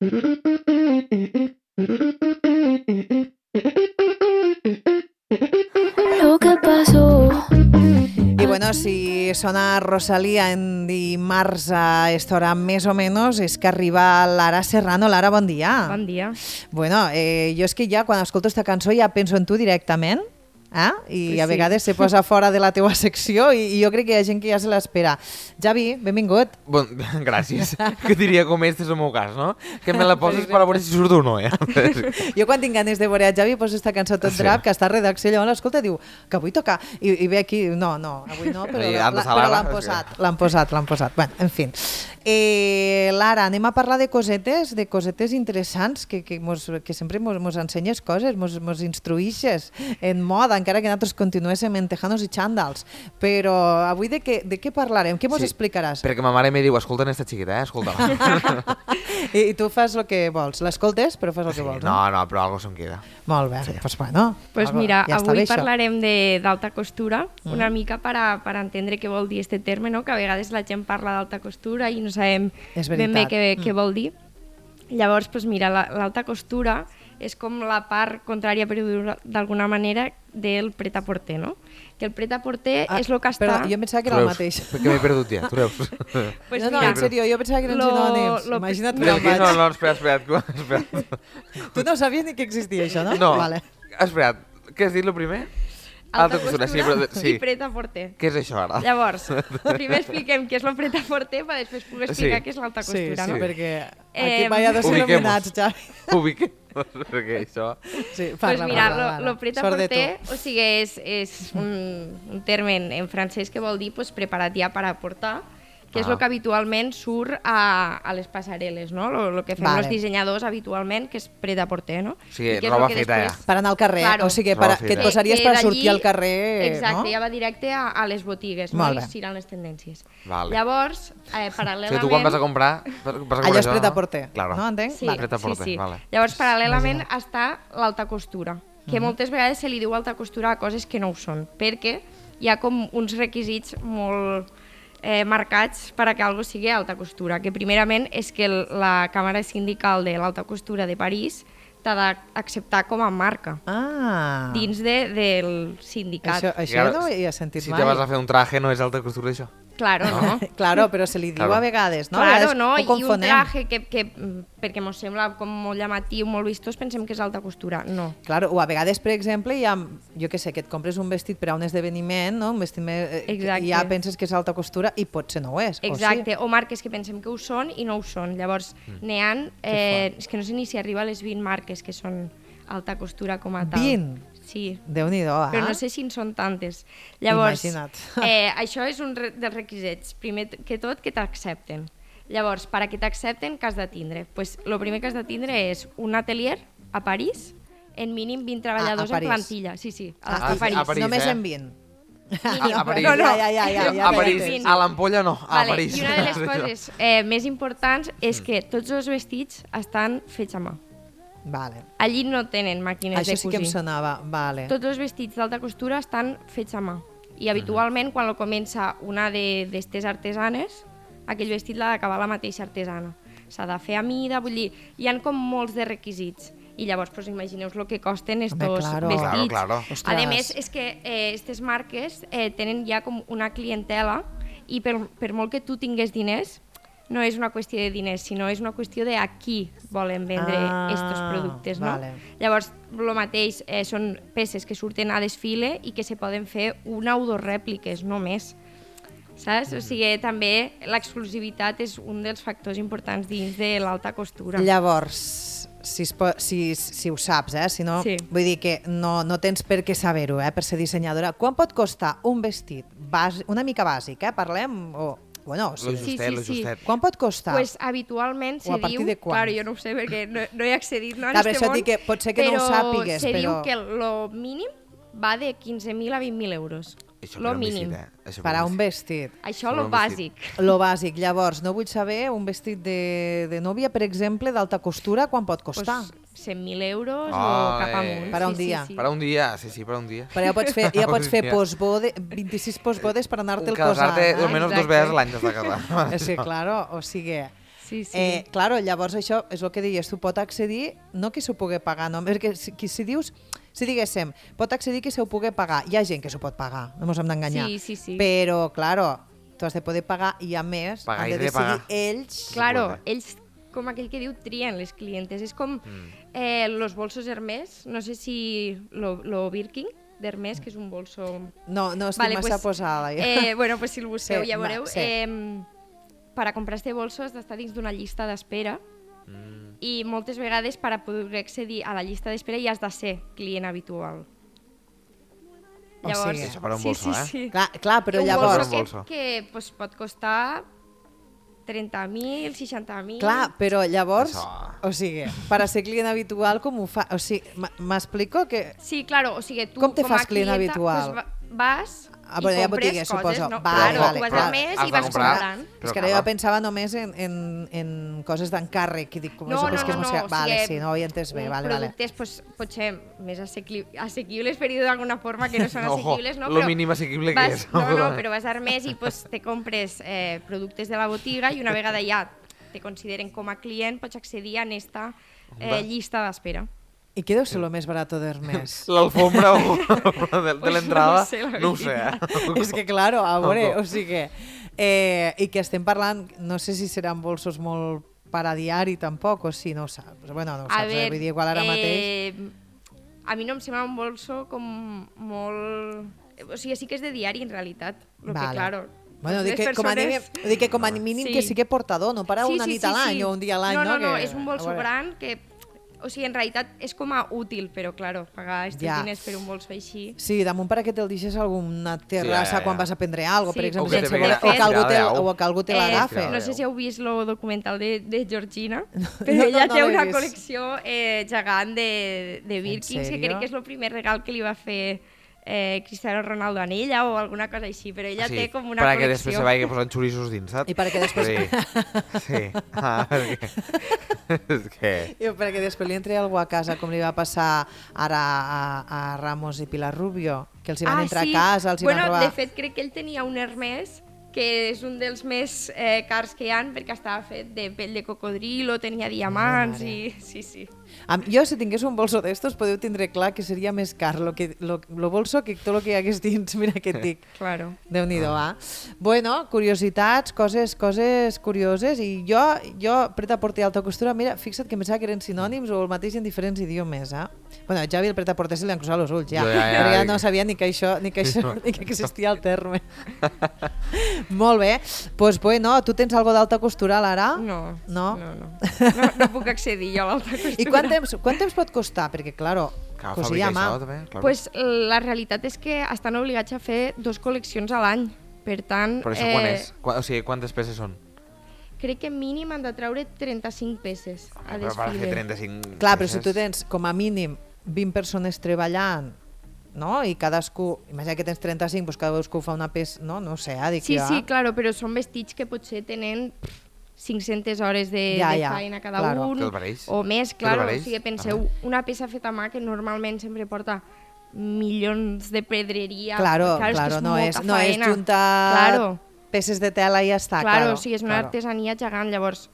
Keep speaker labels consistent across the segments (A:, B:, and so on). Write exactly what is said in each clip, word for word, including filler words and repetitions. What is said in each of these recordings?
A: Lo que pasó.
B: I bueno, si sona Rosalía en dimarts a esta hora més o menys, és que arriba Lara Serrano. Lara, bon dia.
C: Bon dia.
B: Bueno, eh, jo és que ja quan escolto esta cançó ja penso en tu directament, eh? I
C: Pues
B: a
C: sí.
B: vegades se posa fora de la teua secció i, i jo crec que hi ha gent que ja se l'espera. Javi, benvingut.
D: Bon, gràcies. Que diria com este és el meu cas, no? Que me la poses per a veure si surt o no, eh?
B: Jo quan tinc ganes de veure a Javi poso esta cançó tot
D: Sí.
B: drap, que està a redacció, llavors l'escolta i diu que vull tocar, i, i ve aquí, no, no, avui no, però,
D: I
B: la,
D: han de
B: la,
D: salar,
B: però l'han
D: és que-
B: posat, l'han posat, l'han posat. Bueno, en fi. Eh, Lara, anem a parlar de cosetes, de cosetes interessants, que, que, mos, que sempre mos, mos ensenyes coses, mos, mos instruïxes en moda, encara que nosaltres continuéssim en tejanos i xandals. Però avui de què, de què parlarem? Què mos
D: Sí,
B: explicaràs?
D: Perquè ma mare me diu, escolta esta xiqueta, eh? Escolta-la.
B: I, I tu fas el que vols. L'escoltes, però fas el que
D: Sí,
B: vols.
D: no, no, però algo se'n queda.
B: Molt bé, doncs pues bueno.
C: Pues
B: algo-
C: mira,
B: ja està
C: avui
B: bé, això.
C: parlarem de- d'alta costura,
B: Mm.
C: una mica per a, per a entendre què vol dir este terme, no? Que a vegades la gent parla d'alta costura i no sabem
B: És
C: ben bé
B: veritat.
C: què,
B: Mm.
C: què vol dir. Llavors, pues mira, la- l'alta costura és com la part contrària, per dir-ho d'alguna manera, del pret-a-porter, no? Que el pret-a-porter
B: Ah,
C: és el que està...
B: Perdó, jo em pensava que era el mateix.
D: Perquè m'he perdut ja, tu veus?
C: Pues
B: no, no,
C: mira,
B: en sèrio, jo pensava que eren
C: lo-
B: sinònims.
C: lo-
B: Imagina't
C: no,
B: que
D: No,
B: em vaig.
D: no, no, espera, espera, espera.
B: Tu no sabies ni que existia això, no?
D: No,
B: Vale.
D: espera, què has dit el primer?
C: alta
D: costura,
C: costura,
D: sí, però... Sí.
C: i pret-a-porter.
D: Què és això ara?
C: Llavors, primer expliquem què és el pret-a-porter per després poder explicar
D: Sí.
C: què és l'alta
B: Sí,
C: costura,
B: sí,
C: no?
B: perquè aquí
C: Eh,
B: mai ha de ser
D: Ubiquem-nos.
B: il·luminats, Javi.
D: Ubiquem, perquè això...
B: Sí,
C: Pues
B: parla,
C: mira,
B: parla,
C: lo,
B: parla.
C: lo
B: Sort de
C: pret-a-porter,
B: tu.
C: o sigui, és, és un, un terme en, en francès que vol dir pues, preparat ja per a portar, que és
D: Ah.
C: el que habitualment surt a, a les passareles, no? Lo, lo que fem
B: Vale.
C: els dissenyadors habitualment, que és pret-a-porter, no?
D: Sí,
C: I que és
D: roba
C: lo que
D: feta
C: després-
D: ja.
B: Per anar al carrer,
C: Claro.
B: o sigui,
D: Roba
B: per, que et
D: feta.
B: posaries
C: Que
B: per
C: d'allí-
B: sortir al carrer,
C: Exacte,
B: no?
C: ja va directe a, a les botigues,
B: Molt
C: no?
B: bé.
C: I seran les tendències.
D: Vale.
C: Llavors, eh,
D: O sigui,
C: paral·lelament...
D: tu quan vas a comprar... Vas a comprar
B: Allò és
D: això,
B: pret-a-porter,
D: Claro.
B: no? Entenc?
C: Sí,
B: Vale.
D: Pret-a-porter,
C: sí, sí.
D: vale.
C: Llavors, paral·lelament està l'alta costura, que moltes vegades se li diu alta costura a coses que no ho són, perquè hi ha com uns requisits molt eh, marcats per a que algo sigui alta costura, que primerament és que el, la Càmera Sindical de l'Alta Costura de París t'ha d'acceptar com a marca
B: Ah,
C: dins de, del sindicat.
B: això, això
D: Claro,
B: no ho havia sentit
D: Si
B: mai.
D: te vas a fer un traje, no és alta costura, això?
C: Claro, no?
B: Claro, però se li diu
D: Claro.
B: a vegades, no? A
C: Claro,
B: vegades
C: no?
B: ho
C: I un
B: confonem.
C: traje que, que, mm, perquè mos sembla com molt llamatiu, molt vistós, pensem que és alta costura. No.
B: Claro, o a vegades, per exemple, hi ha, jo què sé, que et compres un vestit per a un esdeveniment, no? Un vestit més, eh,
C: Exacte.
B: i ja penses que és alta costura i potser no ho és.
C: Exacte,
B: O
C: o marques que pensem que ho són i no ho són. Llavors,
B: Mm.
C: n'hi ha, eh, és que no sé ni si arriba a les vint marques que són alta costura com a tal.
B: vint?
C: Sí,
B: sí? Déu-n'hi-do, eh?
C: però no sé si en són tantes. Llavors,
B: Imagina't.
C: eh, això és un re dels requisits. Primer t- que tot, que t'accepten. Llavors, per a que t'accepten, què has de tindre? Pues, el primer que has de tindre és un atelier a París, en mínim vint treballadors
B: a
C: en
B: París.
C: plantilla. Sí, sí, a,
B: Ah,
C: a,
B: i-
C: París.
D: a París.
B: Només
D: eh?
B: en vint.
D: A, a París.
C: No, no.
B: Ja, ja, ja, ja,
D: a París,
C: t'entenc.
D: a l'ampolla no, a
C: Vale,
D: París.
C: I una de les coses eh, més importants és que tots els vestits estan fets a mà.
B: Vale.
C: Allí no tenen màquines
B: Això
C: de
B: sí que em
C: cosir.
B: sonava. Vale.
C: Tots els vestits d'alta costura estan fets a mà. I habitualment, quan lo comença una d'estes artesanes, aquell vestit l'ha d'acabar la mateixa artesana. S'ha de fer a mida, vull dir, hi han com molts de requisits. I llavors, pues, imagineu el que costen estos
B: Home, claro.
C: vestits.
D: Claro, claro.
B: Ostres.
C: A més, és que eh, aquestes marques eh, tenen ja com una clientela i per, per molt que tu tingués diners, no és una qüestió de diners, sinó és una qüestió de a qui volen vendre
B: Ah,
C: estos productes, no?
B: vale.
C: Llavors, el mateix, eh, són peces que surten a desfile i que se poden fer una o dues rèpliques, no més. Saps? O sigui, també l'exclusivitat és un dels factors importants dins de l'alta costura.
B: Llavors, si, es po si, si ho saps, eh? Si no,
C: Sí.
B: vull dir que no, no tens per què saber-ho, eh? Per ser dissenyadora. Quan pot costar un vestit bàsic, una mica bàsic, eh? Parlem, o... Bueno,
D: Lo
B: sí.
C: Sí,
D: justet,
C: sí,
D: lo
C: sí.
D: justet.
B: Quan pot costar?
C: Pues habitualment se
B: O a partir
C: diu...
B: de quan?
C: Claro, jo no ho sé perquè no, no he accedit no, en
B: Clar, per
C: este
B: això et
C: món,
B: dic que pot ser que no ho sàpigues,
C: se
B: però-
C: diu que el mínim va de quinze mil a vint mil euros.
D: Això
C: Lo
D: per un
C: mínim.
D: vestit, eh? Això
B: Per a un
D: vestit.
B: vestit.
C: Això
D: Per
C: lo
D: un
C: bàsic.
D: vestit.
B: Lo bàsic. Llavors, no vull saber un vestit de, de nòvia, per exemple, d'alta costura, quan pot costar?
C: Pues cent mil euros o
D: Ole.
C: cap amunt.
B: Per a un
C: sí,
B: dia.
C: Sí, sí.
D: Per a un dia, sí, sí, per a un dia.
B: Però ja pots fer, ja pots fer
D: Ja.
B: postbode, vint-i-sis postbodes per anar-te'l posant.
D: Casar-te
B: Eh?
D: almenys dos
C: Exacte.
D: vegades a l'any t'has de casar.
B: És que, claro, o sigui...
C: Sí, sí.
B: Eh, claro, llavors això és el que deies, tu pot accedir, no que s'ho pugui pagar, no, perquè si, si dius, si diguéssim, pot accedir que s'ho pugui pagar, hi ha gent que s'ho pot pagar, no ens hem d'enganyar,
C: Sí, sí, sí.
B: però, claro, tu has de poder pagar i a més
D: Pagar
B: han
D: i
B: de
D: de
B: decidir
D: pagar.
B: ells.
C: Claro,
D: Suposa.
C: ells, com aquell que diu, trien les clientes. És com
D: Mm.
C: eh, los bolsos Hermès, no sé si lo, lo Birkin d'Hermès, que és un bolso...
B: No, no estic
C: Vale,
B: massa
C: pues,
B: posada. Ja.
C: Eh, bueno, pues si el busqueu
B: Sí,
C: ja
B: va,
C: veureu.
B: sí.
C: Eh, per a comprar este bolso has d'estar dins d'una llista d'espera
D: Mm.
C: i moltes vegades per a poder accedir a la llista d'espera ja has de ser client habitual.
B: O sigui,
D: Això per un
C: sí,
D: bolso,
C: sí,
D: eh?
C: sí.
B: Clar, clar, però
C: un
B: llavors...
C: bolso que,
D: bolso.
C: que pues, pot costar trenta mil, seixanta mil...
B: Clar, però llavors,
D: Això.
B: o sigui, per a ser client habitual, com ho fa? O sigui, m- m'explico que...
C: Sí, claro, o sigui, tu
B: Com te
C: com a
B: fas client
C: clienta,
B: habitual?
C: Pues, va- vas
B: Ah,
C: i
B: bueno, hi ha
C: compres
B: botigues,
C: coses,
B: suposo.
C: no?
B: Vale,
C: claro,
B: vale,
C: tu vas
B: clar.
C: al mes
D: Has
C: i
D: de
C: vas
D: comprar.
C: comprant.
B: És
D: Però
B: que
D: clar.
B: jo pensava només en, en, en coses d'encàrrec, que dic, com
C: No,
B: això que és
C: no,
B: que
C: no,
B: no,
C: no,
B: sé...
C: o
B: Vale,
C: sigui,
B: sí, no ho he entès bé,
C: uns
B: vale, vale.
C: productes pues, potser més assequi assequibles, per dir-ho d'alguna forma, que no són
D: Ojo,
C: assequibles, no?
D: lo
C: Però
D: mínim assequible que
C: vas,
D: és.
C: No, no, però vas a Hermès i pues, te compres eh, productes de la botiga i una vegada ja te consideren com a client pots accedir a esta eh, llista d'espera.
B: I què deu ser el més barat d'Hermès?
D: L'alfombra o de, de
C: Pues
D: l'entrada,
C: no ho sé, la
D: no ho sé. Eh?
B: És que, claro, a veure,
D: Ojo.
B: o sigui... Eh, I que estem parlant, no sé si seran bolsos molt per a diari tampoc, o si no ho saps. Bueno, no ho
C: A
B: saps, eh?
C: veure,
B: Vull dir, igual ara mateix...
C: eh, a mi no em sembla un bolso com molt... O sigui, sí que és de diari, en realitat. Lo
B: Vale.
C: que, claro,
B: Bueno,
C: pues
B: dic
C: les
B: que, com a mínim,
C: persones-
B: dic que com a mínim
C: Sí.
B: que sí que portador, no para
C: Sí,
B: una
C: sí,
B: nit
C: sí,
B: a l'any
C: sí.
B: o un dia a l'any,
C: no?
B: no?
C: No, no,
B: que,
C: és un bolso
B: a veure.
C: gran que... O sigui, en realitat és com a útil, però, claro, pagar estos
B: Ja.
C: diners per un bolso així...
B: Sí, damunt perquè te'l deixes a alguna terrassa
D: Sí, ja, ja,
B: quan
D: ja.
B: vas a prendre alguna cosa,
C: Sí.
B: per exemple,
C: O que te
B: sense
C: veia
B: voler, o que algú te,
D: estirada,
B: o que algú te l'agafe.
D: Eh,
C: no sé si heu vist el documental de, de Georgina,
B: no,
C: però ella
B: no
C: té
B: l'he
C: una
B: vist.
C: col·lecció eh, gegant de, de Birkins, que
B: sèrio?
C: crec que és el primer regal que li va fer eh, Cristiano Ronaldo a ella o alguna cosa així, però ella
D: Sí,
C: té com una
D: per a que
C: col·lecció...
D: després se vagi posant xoriços dins, saps?
B: I perquè després...
D: Sí, sí. Ah, és que... és que...
B: I perquè després li entri algú a casa, com li va passar ara a, a Ramos i Pilar Rubio, que els hi van
C: ah,
B: entrar
C: sí.
B: a casa, els hi
C: bueno,
B: van robar...
C: De fet, crec que ell tenia un Hermès que és un dels més eh, cars que hi han perquè estava fet de pell de cocodrilo, tenia diamants
B: mare.
C: i... Sí, sí.
B: Am- Jo, si tingués un bolso d'estos, podeu tindre clar que seria més car lo, que, lo, lo bolso que tot el que hi hagués dins. Mira què et dic.
C: Claro.
B: Déu-n'hi-do, ah. Bueno, curiositats, coses, coses curioses, i jo, jo pret-a-porter i alta costura, mira, fixa't que em pensava que eren sinònims o el mateix en diferents idiomes, eh? Bueno, ja el pret-a-porter se li han cruzat els ulls, ja.
D: Jo ja, ja,
B: Però ja
D: dic-
B: no sabia ni que això, ni que això, ni que existia el terme. Molt bé. Pues bueno, tu tens algo d'alta costura, Lara?
C: No,
B: No?
C: no, no. No, no puc accedir jo a l'alta costura.
B: I quant temps, quant temps pot costar? Perquè, claro,
D: Clar,
B: cosir
D: fabricar
B: a mà.
D: això, també, clar.
C: Pues la realitat és que estan obligats a fer dos col·leccions a l'any. Per tant,
D: Però això quan és? Qua, o sigui, quantes peces són?
C: crec que mínim han de treure trenta-cinc peces a
D: Però per fer
C: desfile.
D: trenta-cinc
B: Clar, però si
D: peces...
B: tu tens com a mínim vint persones treballant, no? I cadascú, imagina que tens trenta-cinc, doncs cadascú fa una peça, no? No ho sé, eh? Dic
C: Sí,
B: jo.
C: sí, claro, però són vestits que potser tenen cinc-centes hores de,
B: Ja,
C: de
B: ja,
C: feina cada
B: claro.
C: un,
D: Que el pareix.
C: o més,
D: Que el
C: claro. O
D: pareix.
C: sigui, penseu, una peça feta a mà que normalment sempre porta milions de pedreria.
B: Claro,
C: claro,
B: claro,
C: és que és
B: no, és,
C: molta
B: no és
C: faena.
B: juntar
C: Claro.
B: peces de tela i ja està.
C: Claro,
B: Claro,
C: o sigui, és una
B: claro.
C: artesania gegant, llavors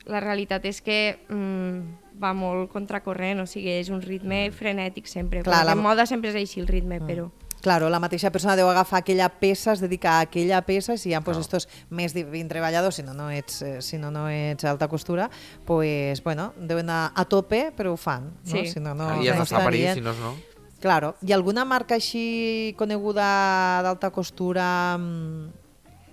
C: la realitat és que mm, va molt contracorrent, o sigui, és un ritme frenètic sempre.
B: Clar,
C: Clar,
B: la-
C: En moda sempre és així el ritme,
B: Mm.
C: però...
B: Claro, la mateixa persona deu agafar aquella peça, es dedica a aquella peça, i si hi ha pues,
D: Claro.
B: estos més de vint treballadors, si no no ets, eh, si no, no ets alta costura, pues, bueno, deuen anar a tope, però ho fan. No?
C: Sí.
B: Si no, no,
D: I has
B: no
D: d'estar a París,
B: estarien.
D: si no, no.
B: Claro. Hi ha alguna marca així coneguda d'alta costura? mm,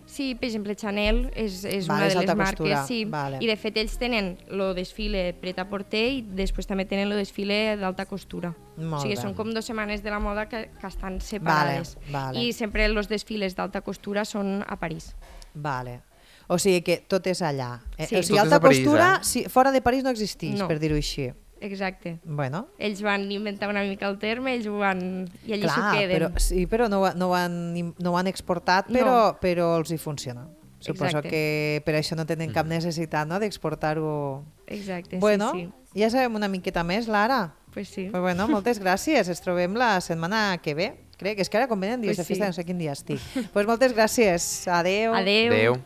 C: Sí, per exemple, Chanel és, és
B: Vale,
C: una
B: és
C: de les
B: alta
C: marques,
B: costura,
C: sí.
B: vale.
C: I de fet ells tenen el desfile pret-a-porter i després també tenen el desfile d'alta costura.
B: Molt
C: o sigui,
B: bé.
C: són com dues setmanes de la moda que, que estan separades.
B: vale.
C: I sempre els desfiles d'alta costura són a París.
B: Vale. O sigui que tot és allà. Eh?
C: Sí.
B: O sigui,
D: Tot és
B: alta
D: a París,
B: costura,
D: eh?
B: si, fora de París no existeix,
C: No.
B: per dir-ho així.
C: Exacte.
B: Bueno,
C: Ells van inventar una mica el terme, ells ho van... i allí s'ho
B: clar,
C: queden.
B: però, sí, però no, ho ha- no, ho han, im- no ho han exportat, però,
C: No.
B: però els hi funciona. Suposo
C: Exacte.
B: que per això no tenen
D: Mm.
B: cap necessitat, no?, d'exportar-ho.
C: Exacte,
B: Bueno,
C: sí, sí.
B: ja sabem una miqueta més, Lara.
C: Pues sí.
B: Pues bueno, moltes gràcies. Ens trobem la setmana que ve. Crec, és que ara com venen dies
C: Pues
B: de festa,
C: sí.
B: no sé quin dia estic. Pues moltes gràcies. Adeu.
C: Adeu.
D: Adéu.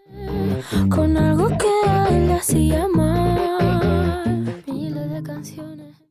A: Mm. con algo que a él le hacía mal. Miles de canciones.